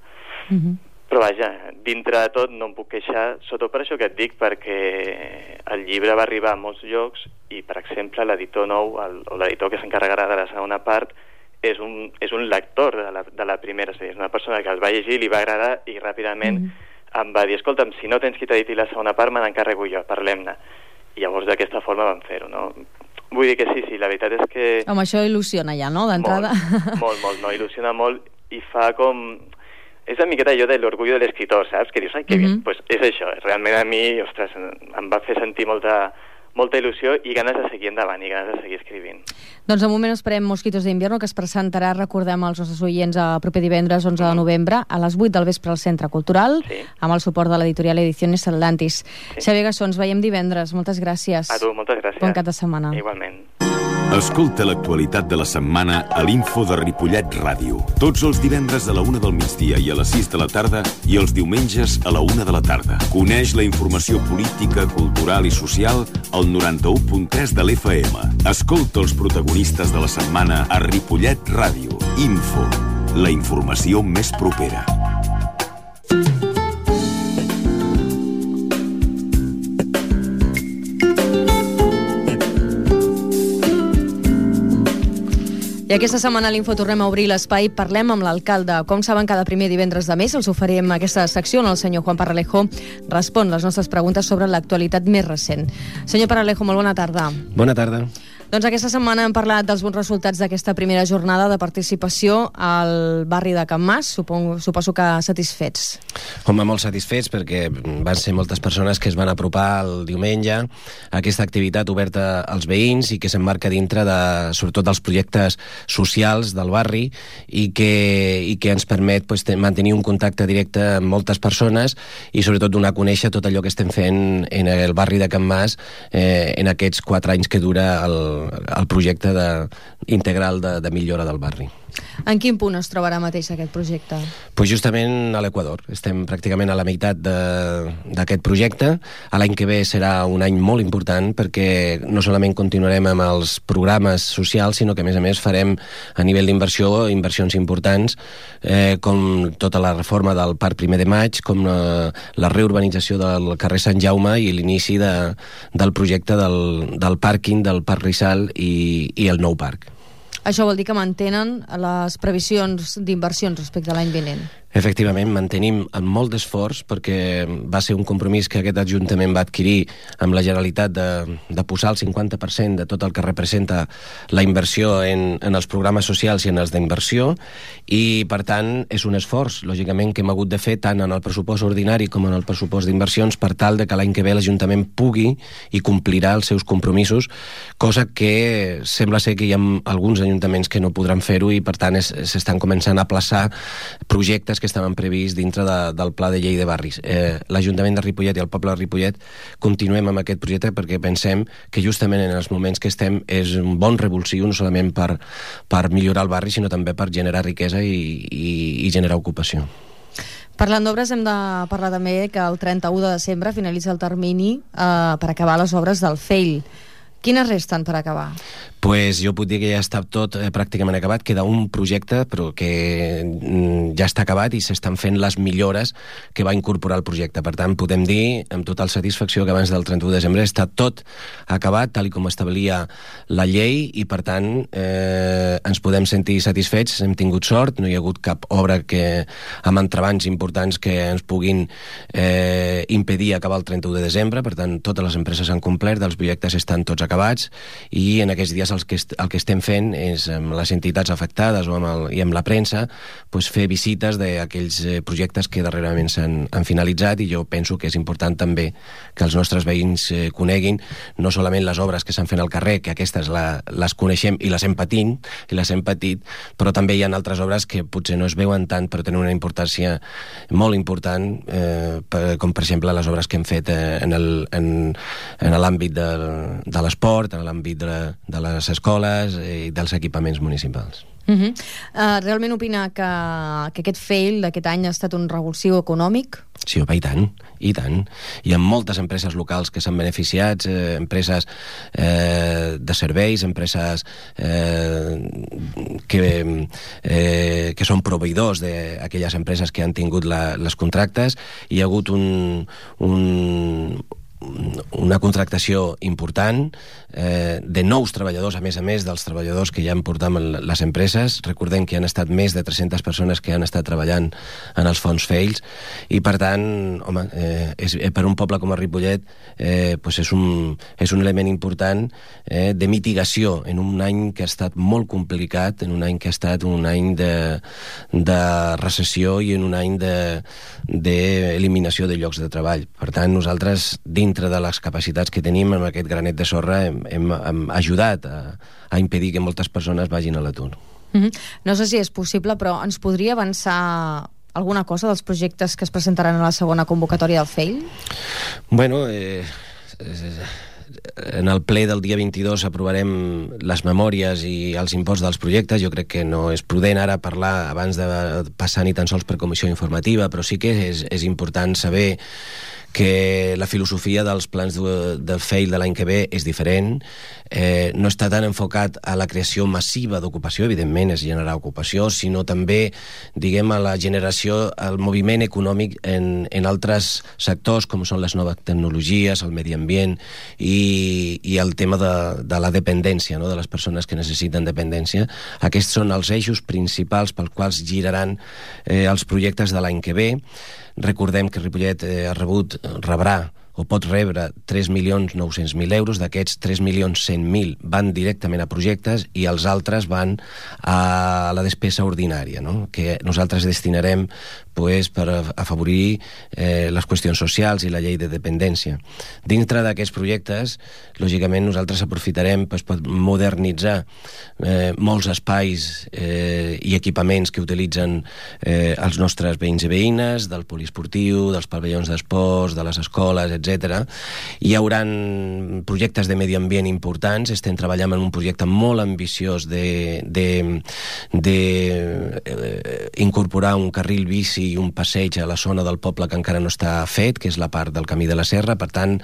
Però vaja, dintre de tot no em puc queixar, sobretot per això que et dic, perquè el llibre va arribar a molts llocs i, per exemple, l'editor nou, o l'editor que s'encarregarà de la segona part, és un lector de la primera, és una persona que el va llegir, li va agradar i ràpidament em va dir, escolta'm, si no tens qui t'editi la segona part, me n'encarrego jo, parlem-ne. I llavors d'aquesta forma vam fer-ho, no? Vull dir que sí, la veritat és que... Home, això il·lusiona ja, no?, d'entrada. Molt, no, il·lusiona molt i fa com... és una miqueta allò de l'orgullo de l'escriptor, saps? Que dius, ai, que bien, pues és això. Realment a mi, ostres, em va fer sentir molta il·lusió i ganes de seguir endavant i ganes de seguir escrivint. Doncs de moment esperem Mosquitos d'Invierno, que es presentarà, recordem als nostres oients, el proper divendres 11 de novembre a les 8 del vespre al Centre Cultural, amb el suport de l'editorial Ediciones Atlantis. Xavier Gassó, ens veiem divendres. Moltes gràcies. A tu, moltes gràcies. Bon cap de setmana. Igualment. Escolta l'actualitat de la setmana a l'Info de Ripollet Ràdio. Tots els divendres a la 1 del migdia i a les 6 de la tarda i els diumenges a la 1 de la tarda. Coneix la informació política, cultural i social al 91.3 de l'FM. Escolta els protagonistes de la setmana a Ripollet Ràdio. Info, la informació més propera. I aquesta setmana a l'Info tornem a obrir l'espai. Parlem amb l'alcalde. Com saben, cada primer divendres de mes els oferim aquesta secció on el senyor Juan Parralejo respon les nostres preguntes sobre l'actualitat més recent. Senyor Parralejo, molt bona tarda. Bona tarda. Doncs aquesta setmana hem parlat dels bons resultats d'aquesta primera jornada de participació al barri de Can Mas. Suposo que satisfets. Home, molt satisfets perquè van ser moltes persones que es van apropar el diumenge a aquesta activitat oberta als veïns i que s'emmarca dintre sobretot dels projectes socials del barri i que ens permet mantenir un contacte directe amb moltes persones i sobretot donar a conèixer tot allò que estem fent en el barri de Can Mas en aquests 4 anys que dura el projecte integral de millora del barri. En quin punt es trobarà mateix aquest projecte? Pues justament a l'Equador. Estem pràcticament a la meitat d'aquest projecte. L'any que ve serà un any molt important perquè no solament continuarem amb els programes socials, sinó que a més farem a nivell d'inversió inversions importants com tota la reforma del Parc 1 de Maig, com la reurbanització del carrer Sant Jaume i l'inici del projecte del pàrquing del Parc Rizal i el nou parc. Això vol dir que mantenen les previsions d'inversions respecte a l'any vinent? Efectivament, mantenim amb molt d'esforç perquè va ser un compromís que aquest Ajuntament va adquirir amb la Generalitat de posar el 50% de tot el que representa la inversió en els programes socials i en els d'inversió i, per tant, és un esforç, lògicament, que hem hagut de fer tant en el pressupost ordinari com en el pressupost d'inversions per tal de que l'any que ve l'Ajuntament pugui i complirà els seus compromisos, cosa que sembla ser que hi ha alguns ajuntaments que no podran fer-ho i, per tant, s'estan començant a aplaçar projectes que estaven prevists dintre del Pla de Llei de Barris. L'Ajuntament de Ripollet i el poble de Ripollet continuem amb aquest projecte perquè pensem que justament en els moments que estem és un bon revulsiu no solament per millorar el barri sinó també per generar riquesa i generar ocupació. Parlant d'obres, hem de parlar també que el 31 de desembre finalitza el termini per acabar les obres del FEIL. Quines resten per acabar? Pues jo puc dir que ja està tot pràcticament acabat. Queda un projecte però que ja està acabat i s'estan fent les millores que va incorporar el projecte. Per tant, podem dir amb total satisfacció que abans del 31 de desembre està tot acabat tal com establia la llei i, per tant, ens podem sentir satisfets. Hem tingut sort, no hi ha hagut cap obra amb entrebancs importants que ens puguin impedir acabar el 31 de desembre. Per tant, totes les empreses han complert, els projectes estan tots acabats i en aquests dies el que estem fent és amb les entitats afectades i amb la premsa fer visites d'aquells projectes que darrerament han finalitzat i jo penso que és important també que els nostres veïns coneguin no solament les obres que s'han fet al carrer, que aquestes les coneixem i les hem patit, però també hi ha altres obres que potser no es veuen tant però tenen una importància molt important com per exemple les obres que hem fet en l'àmbit de l'esport, en l'àmbit de les escoles i dels equipaments municipals. Realment opina que aquest fail d'aquest any ha estat un revulsiu econòmic? Sí, i tant, i tant. Hi ha moltes empreses locals que s'han beneficiat, empreses de serveis, empreses que són proveïdors d'aquelles empreses que han tingut les contractes. Hi ha hagut una contractació important de nous treballadors, a més dels treballadors que ja en portam les empreses. Recordem que han estat més de 300 persones que han estat treballant en els fons FEILS, i per tant, home, per un poble com a Ripollet és un element important de mitigació en un any que ha estat molt complicat, en un any que ha estat un any de recessió i en un any d'eliminació de llocs de treball. Per tant, nosaltres, dintre de les capacitats que tenim amb aquest granet de sorra, hem ajudat a impedir que moltes persones vagin a l'atur. No sé si és possible, però ens podria avançar alguna cosa dels projectes que es presentaran a la segona convocatòria del FEIL? Bueno, en el ple del dia 22 aprovarem les memòries i els imports dels projectes. Jo crec que no és prudent ara parlar abans de passar ni tan sols per comissió informativa, però sí que és important saber que la filosofia dels plans del FEIL de l'any que ve és diferent. No està tan enfocat a la creació massiva d'ocupació, evidentment és generar ocupació, sinó també, diguem, a la generació, al moviment econòmic en altres sectors, com són les noves tecnologies, el medi ambient i el tema de la dependència, no?, de les persones que necessiten dependència. Aquests són els eixos principals pels quals giraran els projectes de l'any que ve. Recordem que Ripollet rebrà o pot rebre 3.900.000 euros. D'aquests, 3.100.000 van directament a projectes i els altres van a la despesa ordinària, no?, que nosaltres destinarem per afavorir les qüestions socials i la llei de dependència. Dintre d'aquests projectes, lògicament, nosaltres aprofitarem per modernitzar molts espais i equipaments que utilitzen els nostres veïns i veïnes, del poliesportiu, dels pavellons d'esports, de les escoles, etc. Hi haurà projectes de medi ambient importants. Estem treballant en un projecte molt ambiciós d'incorporar un carril bici i un passeig a la zona del poble que encara no està fet, que és la part del Camí de la Serra. Per tant,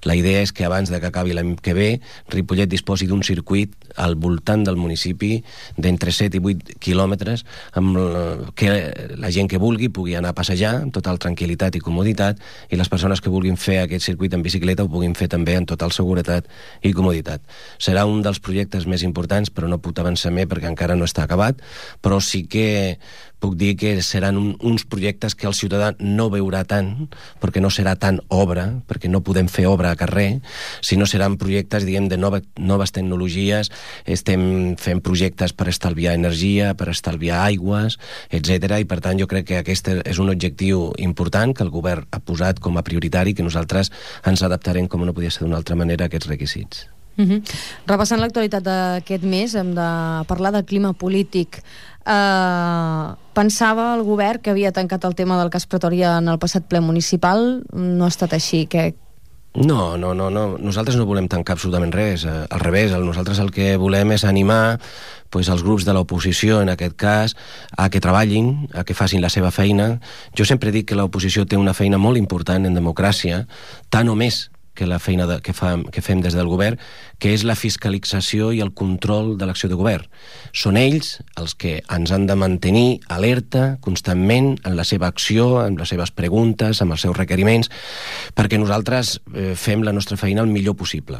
la idea és que abans de que acabi l'any que ve, Ripollet disposi d'un circuit al voltant del municipi d'entre 7 i 8 quilòmetres, amb que la gent que vulgui pugui anar a passejar amb total tranquil·litat i comoditat, i les persones que vulguin fer aquest circuit en bicicleta ho puguin fer també en total seguretat i comoditat. Serà un dels projectes més importants, però no puc avançar més perquè encara no està acabat, però sí que puc dir que seran uns projectes que el ciutadà no veurà tant, perquè no serà tant obra, perquè no podem fer obra a carrer, sinó seran projectes, diguem, de noves tecnologies. Estem fent projectes per estalviar energia, per estalviar aigües, etc. I per tant jo crec que aquest és un objectiu important que el govern ha posat com a prioritari, que nosaltres ens adaptarem, com no podia ser d'una altra manera, a aquests requisits. Repassant l'actualitat d'aquest mes, hem de parlar del clima polític. Pensava el govern que havia tancat el tema del cas Pretòria en el passat ple municipal. No ha estat així. No. Nosaltres no volem tancar absolutament res. Al revés, nosaltres el que volem és animar els grups de l'oposició, en aquest cas, a que treballin, a que facin la seva feina. Jo sempre dic que l'oposició té una feina molt important en democràcia, tant o més que la feina que fem des del govern, que és la fiscalització i el control de l'acció de govern. Són ells els que ens han de mantenir alerta constantment en la seva acció, en les seves preguntes, amb els seus requeriments, perquè nosaltres fem la nostra feina el millor possible.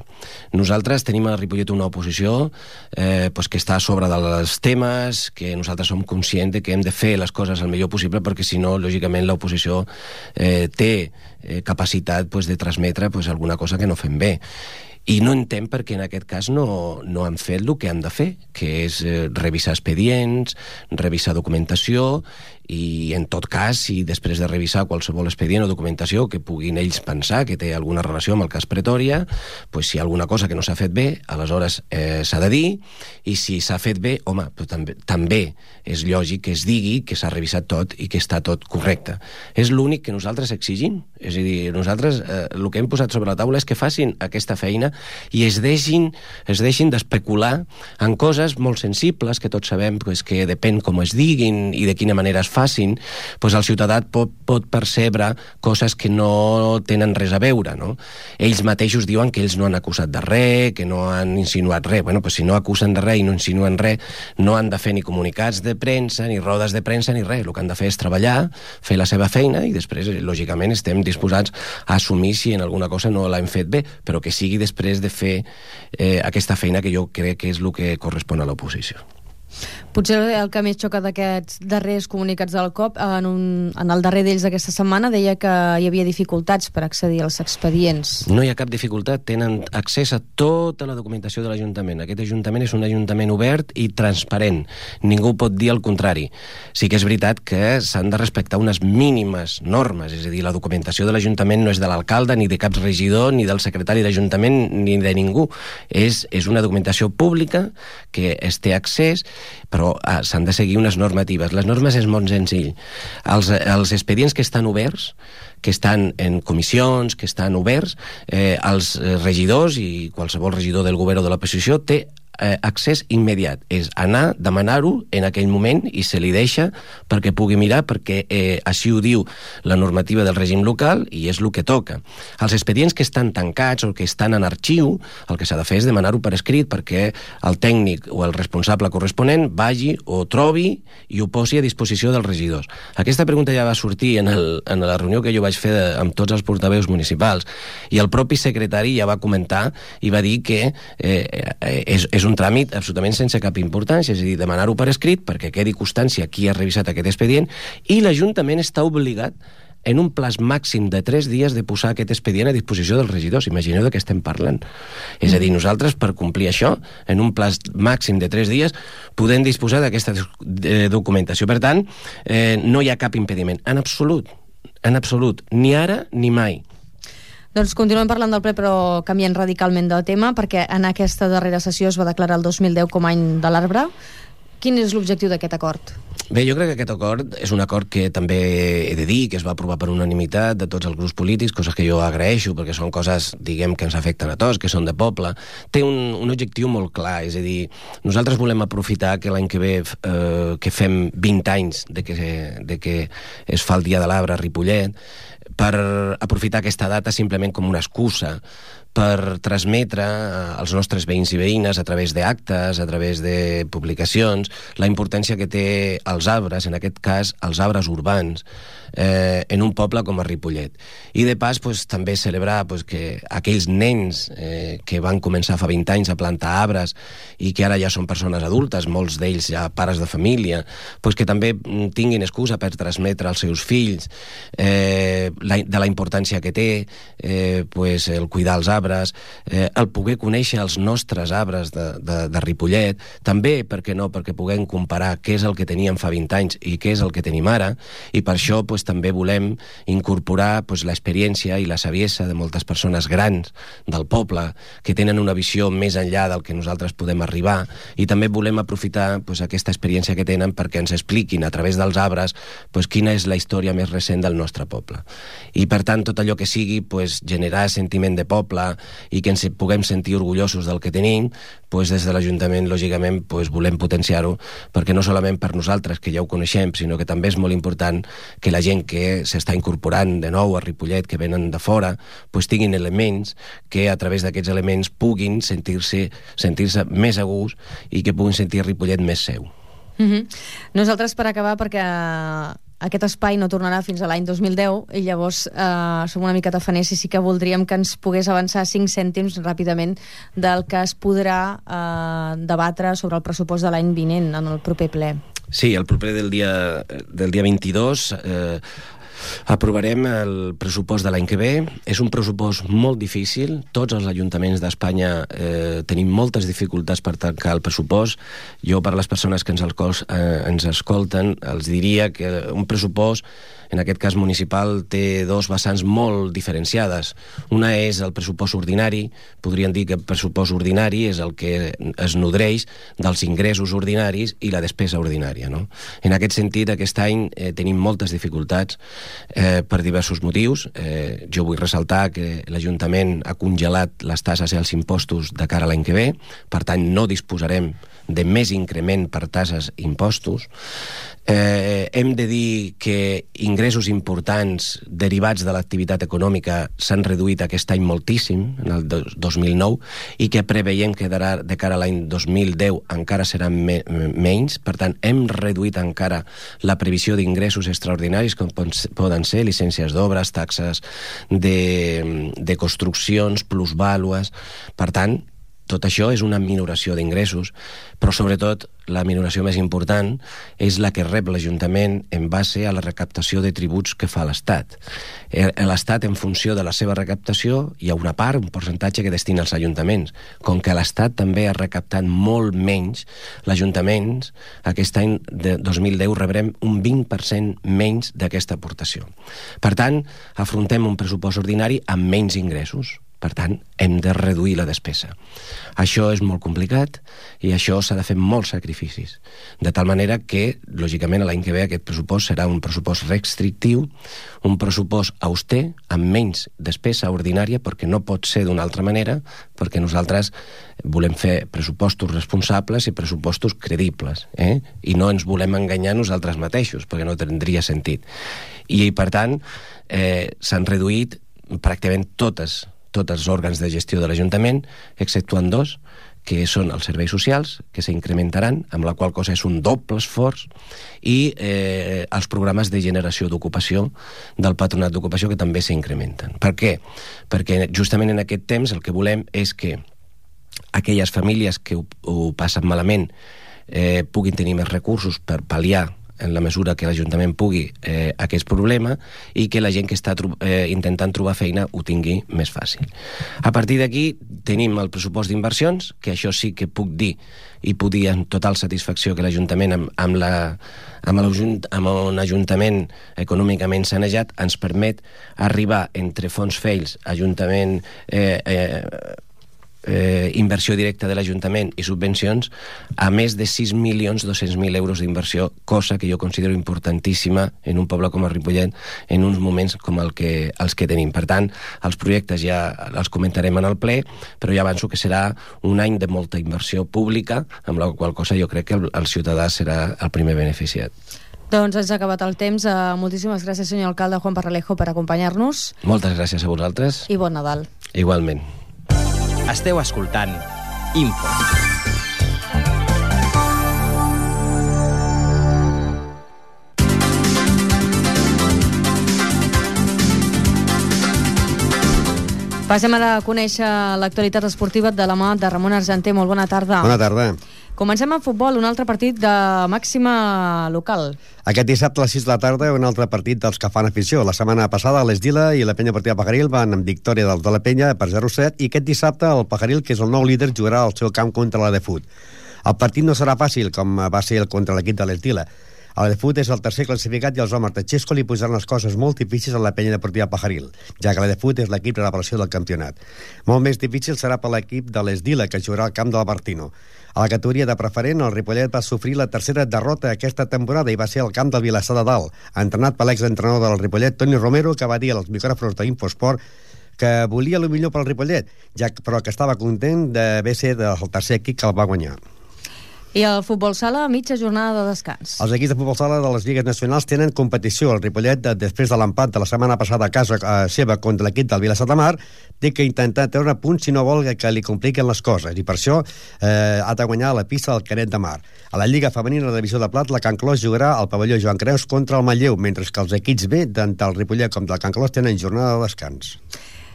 Nosaltres tenim a Ripollet una oposició que està a sobre dels temes, que nosaltres som conscients que hem de fer les coses el millor possible, perquè si no, lògicament, l'oposició té capacitat de transmetre alguna cosa que no fem bé. I no entenc perquè en aquest cas no han fet el que han de fer, que és revisar expedients, revisar documentació, i en tot cas, si després de revisar qualsevol expedient o documentació que puguin ells pensar que té alguna relació amb el cas Pretòria, si hi ha alguna cosa que no s'ha fet bé, aleshores s'ha de dir, i si s'ha fet bé, home, també és lògic que es digui que s'ha revisat tot i que està tot correcte. És l'únic que nosaltres exigim. És a dir, nosaltres el que hem posat sobre la taula és que facin aquesta feina i es deixin d'especular en coses molt sensibles que tots sabem que depèn com es diguin i de quina manera es facin, el ciutadà pot percebre coses que no tenen res a veure, no? Ells mateixos diuen que ells no han acusat de res, que no han insinuat res. Si no acusen de res i no insinuen res, no han de fer ni comunicats de premsa, ni rodes de premsa, ni res. El que han de fer és treballar, fer la seva feina i després, lògicament, estem disposats a assumir si en alguna cosa no l'hem fet bé, però que sigui després de fer aquesta feina que jo crec que és el que correspon a l'oposició. Potser el que més xoca d'aquests darrers comunicats del COP, en el darrer d'ells d'aquesta setmana, deia que hi havia dificultats per accedir als expedients. No hi ha cap dificultat, tenen accés a tota la documentació de l'Ajuntament. Aquest Ajuntament és un Ajuntament obert i transparent. Ningú pot dir el contrari. Sí que és veritat que s'han de respectar unes mínimes normes, és a dir, la documentació de l'Ajuntament no és de l'alcalde, ni de cap regidor, ni del secretari d'Ajuntament, ni de ningú. És una documentació pública que es té accés, però s'han de seguir unes normatives. Les normes és molt senzill. Els expedients que estan oberts, que estan en comissions, que estan oberts, els regidors i qualsevol regidor del govern o de l'oposició té accés immediat. És anar, demanar-ho en aquell moment i se li deixa perquè pugui mirar, perquè així ho diu la normativa del règim local i és el que toca. Els expedients que estan tancats o que estan en arxiu, el que s'ha de fer és demanar-ho per escrit perquè el tècnic o el responsable corresponent vagi o trobi i ho posi a disposició dels regidors. Aquesta pregunta ja va sortir en la reunió que jo vaig fer amb tots els portaveus municipals i el propi secretari ja va comentar i va dir que és un tràmit absolutament sense cap importància, és a dir, demanar-ho per escrit perquè quedi constància qui ha revisat aquest expedient i l'Ajuntament està obligat en un plaç màxim de 3 dies de posar aquest expedient a disposició dels regidors. Imagineu de què estem parlant. És a dir, nosaltres, per complir això, en un plaç màxim de 3 dies, podem disposar d'aquesta documentació. Per tant, no hi ha cap impediment. En absolut, ni ara ni mai. Doncs continuem parlant del ple, però canviant radicalment de tema, perquè en aquesta darrera sessió es va declarar el 2010 com a any de l'arbre. Quin és l'objectiu d'aquest acord? Bé, jo crec que aquest acord és un acord que també he de dir que es va aprovar per unanimitat de tots els grups polítics, coses que jo agraeixo perquè són coses, diguem, que ens afecten a tots, que són de poble. Té un objectiu molt clar, és a dir, nosaltres volem aprofitar que l'any que ve que fem 20 anys de que es fa el Dia de l'Arbre a Ripollet, per aprofitar aquesta data simplement com una excusa per transmetre als nostres veïns i veïnes a través d'actes, a través de publicacions, la importància que té els arbres, en aquest cas els arbres urbans, en un poble com a Ripollet. I de pas també celebrar que aquells nens que van començar fa 20 anys a plantar arbres i que ara ja són persones adultes, molts d'ells ja pares de família, que també tinguin excusa per transmetre als seus fills de la importància que té el cuidar els arbres, el poder conèixer els nostres arbres de Ripollet, també, per què no, perquè puguem comparar què és el que teníem fa 20 anys i què és el que tenim ara, i per això també volem incorporar l'experiència i la saviesa de moltes persones grans del poble que tenen una visió més enllà del que nosaltres podem arribar, i també volem aprofitar aquesta experiència que tenen perquè ens expliquin a través dels arbres quina és la història més recent del nostre poble. I per tant tot allò que sigui generar sentiment de poble i que ens puguem sentir orgullosos del que tenim, des de l'Ajuntament lògicament volem potenciar-ho, perquè no solament per nosaltres que ja ho coneixem, sinó que també és molt important que la gent que s'està incorporant de nou a Ripollet, que venen de fora, tinguin elements que a través d'aquests elements puguin sentir-se més a gust i que puguin sentir Ripollet més seu. Nosaltres, per acabar, perquè aquest espai no tornarà fins a l'any 2010 i llavors som una mica tafaners i sí que voldríem que ens pogués avançar 5 cèntims ràpidament del que es podrà debatre sobre el pressupost de l'any vinent en el proper ple. Sí, el proper del dia 22 aprovarem el pressupost de l'any que ve. És un pressupost molt difícil. Tots els ajuntaments d'Espanya tenim moltes dificultats per tancar el pressupost. Jo, per les persones que ens escolten, els diria que un pressupost, en aquest cas municipal, té 2 vessants molt diferenciades. Una és el pressupost ordinari. Podríem dir que el pressupost ordinari és el que es nodreix dels ingressos ordinaris i la despesa ordinària, no? En aquest sentit, aquest any tenim moltes dificultats per diversos motius. Jo vull ressaltar que l'Ajuntament ha congelat les tasses i els impostos de cara a l'any que ve, per tant no disposarem de més increment per tasses i impostos. Hem de dir que ingressos importants derivats de l'activitat econòmica s'han reduït aquest any moltíssim, en el 2009, i que preveiem que de cara a l'any 2010 encara seran menys. Per tant, hem reduït encara la previsió d'ingressos extraordinaris, com poden ser llicències d'obres, taxes de construccions, plusvàlues. Per tant, tot això és una minoració d'ingressos, però sobretot la minoració més important és la que rep l'Ajuntament en base a la recaptació de tributs que fa l'Estat. L'Estat, en funció de la seva recaptació, hi ha una part, un percentatge que destina als ajuntaments. Com que l'Estat també ha recaptat molt menys, l'Ajuntament aquest any de 2010 rebrem un 20% menys d'aquesta aportació. Per tant, afrontem un pressupost ordinari amb menys ingressos. Per tant, hem de reduir la despesa. Això és molt complicat i això s'ha de fer molts sacrificis. De tal manera que, lògicament, l'any que ve aquest pressupost serà un pressupost restrictiu, un pressupost auster, amb menys despesa ordinària, perquè no pot ser d'una altra manera, perquè nosaltres volem fer pressupostos responsables i pressupostos credibles, i no ens volem enganyar nosaltres mateixos, perquè no tindria sentit. I, per tant, s'han reduït pràcticament tots els òrgans de gestió de l'Ajuntament, exceptuant dos, que són els serveis socials, que s'incrementaran, amb la qual cosa és un doble esforç, i els programes de generació d'ocupació del Patronat d'Ocupació, que també s'incrementen. Per què? Perquè justament en aquest temps el que volem és que aquelles famílies que ho passen malament puguin tenir més recursos per pal·liar en la mesura que l'Ajuntament pugui aquest problema, i que la gent que està intentant trobar feina ho tingui més fàcil. A partir d'aquí tenim el pressupost d'inversions, que això sí que puc dir i puc dir amb total satisfacció que l'Ajuntament amb un ajuntament econòmicament sanejat ens permet arribar entre fons FEILS, Ajuntament, inversió directa de l'Ajuntament i subvencions, a més de 6.200.000 euros d'inversió, cosa que jo considero importantíssima en un poble com el Ripollet en uns moments com els que tenim. Per tant, els projectes ja els comentarem en el ple, però ja avanço que serà un any de molta inversió pública, amb la qual cosa jo crec que el ciutadà serà el primer beneficiat. Doncs ens ha acabat el temps. Moltíssimes gràcies, senyor alcalde Juan Parralejo, per acompanyar-nos. Moltes gràcies a vosaltres. I bon Nadal. Igualment. Esteu escoltant Info. Passem ara a conèixer l'actualitat esportiva de la mà de Ramon Argenter. Molt bona tarda. Bona tarda. Comencem amb futbol, un altre partit de màxima local. Aquest dissabte a les 6 de la tarda un altre partit dels que fan afició. La setmana passada l'Esdila i la Penya Partida Pajaril van amb victòria dels de la Penya per 0-7, i aquest dissabte el Pajaril, que és el nou líder, jugarà al seu camp contra la Defut. El partit no serà fàcil, com va ser contra l'equip de l'Esdila. El Defut és el tercer classificat i els homes de Xesco li posaran les coses molt difícils a la Penya Deportiva Pajaril, ja que la Defut és l'equip de revelació del campionat. Molt més difícil serà per l'equip de l'Esdila, que jugarà al camp del Bartino. A la categoria de preferent, el Ripollet va sofrir la tercera derrota aquesta temporada i va ser al camp del Vilassar de Dalt, entrenat per l'exentrenador del Ripollet, Toni Romero, que va dir als micròfons d'Infosport que volia el millor pel Ripollet, però que estava content d'haver ser el tercer equip que el va guanyar. I el futbol sala, mitja jornada de descans. Els equips de futbol sala de les lligues nacionals tenen competició. El Ripollet, després de l'empat de la setmana passada a casa seva contra l'equip del Vilassar de Mar, té que intentar treure punts si no vol que li compliquen les coses, i per això ha de guanyar la pista del Canet de Mar. A la Lliga Femenina de la Divisió de Plat, la Can Clos jugarà al pavelló Joan Creus contra el Manlleu, mentre que els equips B, tant del Ripollet com del Can Clos, tenen jornada de descans.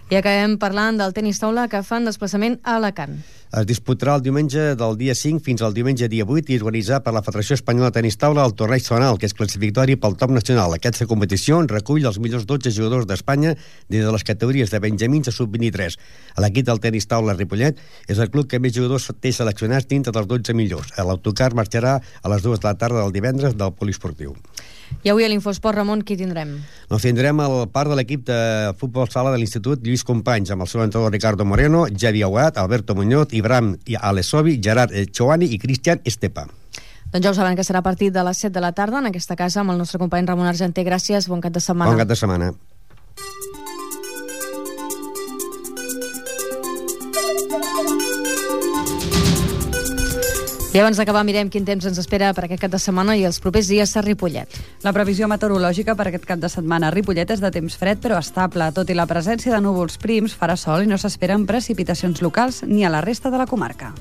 I acabem parlant del tenis taula, que fan desplaçament a Alacant. Es disputarà el diumenge del dia 5 fins al diumenge dia 8 i organitzat per la Federació Espanyola de Tenis Taula el torneig zonal, que és classificatori pel top nacional. Aquesta competició recull els millors 12 jugadors d'Espanya des de les categories de benjamins a sub-23. L'equip del tenis taula Ripollet és el club que més jugadors té seleccionats dintre dels 12 millors. L'autocar marxarà a les 2 de la tarda del divendres del polisportiu. I avui a l'Infosport, Ramon, qui tindrem? Doncs tindrem el part de l'equip de futbol sala de l'Institut Lluís Companys, amb el seu entrenador Ricardo Moreno, Javi Aguat, Alberto Muñoz, Ibrahim Alesovi, Gerard Choani i Cristian Estepa. Doncs ja ho saben que serà a partir de les 7 de la tarda en aquesta casa amb el nostre company Ramon Argenter. Gràcies, bon cap de setmana. Bon cap de setmana. I abans d'acabar mirem quin temps ens espera per aquest cap de setmana i els propers dies a Ripollet. La previsió meteorològica per aquest cap de setmana a Ripollet és de temps fred però estable. Tot i la presència de núvols prims, farà sol i no s'esperen precipitacions locals ni a la resta de la comarca.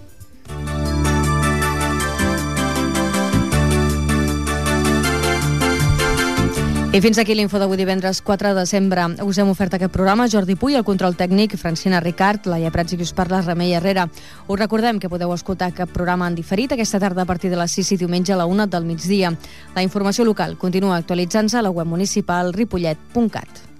I fins aquí l'info d'avui divendres 4 de desembre. Us hem ofert aquest programa Jordi Puy, el control tècnic, Francina Ricard, Laia Prats i qui us parla, Remei Herrera. Us recordem que podeu escoltar aquest programa en diferit aquesta tarda a partir de les 6 i diumenge a la 1 del migdia. La informació local continua actualitzant-se a la web municipal ripollet.cat.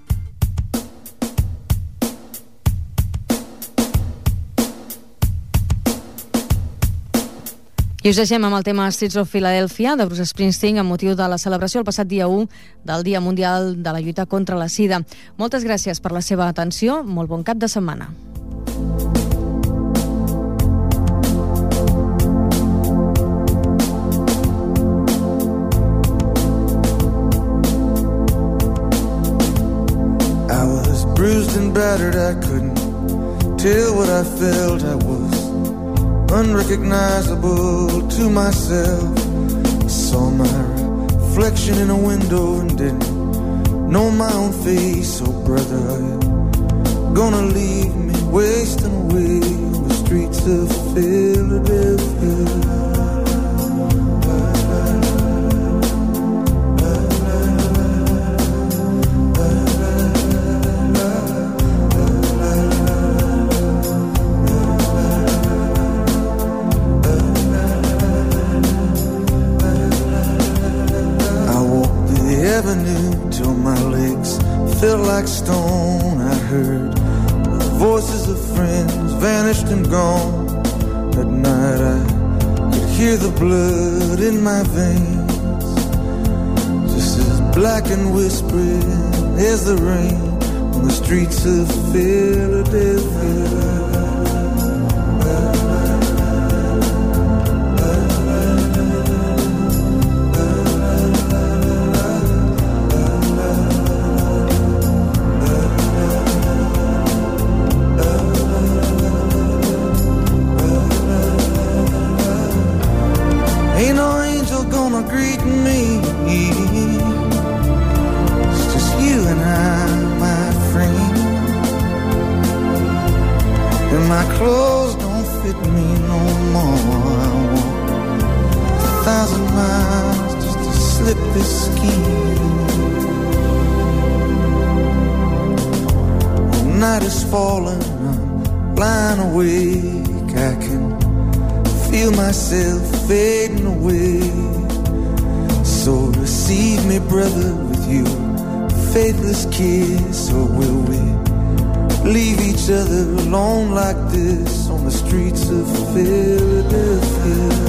I us deixem amb el tema Streets of Philadelphia de Bruce Springsteen amb motiu de la celebració el passat dia 1 del Dia Mundial de la Lluita contra la Sida. Moltes gràcies per la seva atenció. Molt bon cap de setmana. I was bruised and battered, I couldn't tell what I felt. I was unrecognizable to myself. I saw my reflection in a window and didn't know my own face. Oh brother, are you gonna leave me wasting away on the streets of Philadelphia? Till my legs felt like stone. I heard the voices of friends vanished and gone. At night I could hear the blood in my veins, just as black and whispering as the rain on the streets of Philadelphia. Ain't no angel gonna greet me. It's just you and I, my friend. And my clothes don't fit me no more. I walk 1,000 miles just to slip this skin. The night is falling, I'm lying awake. I can feel myself fading away. So receive me, brother, with your faithless kiss. Or will we leave each other alone like this on the streets of Philadelphia?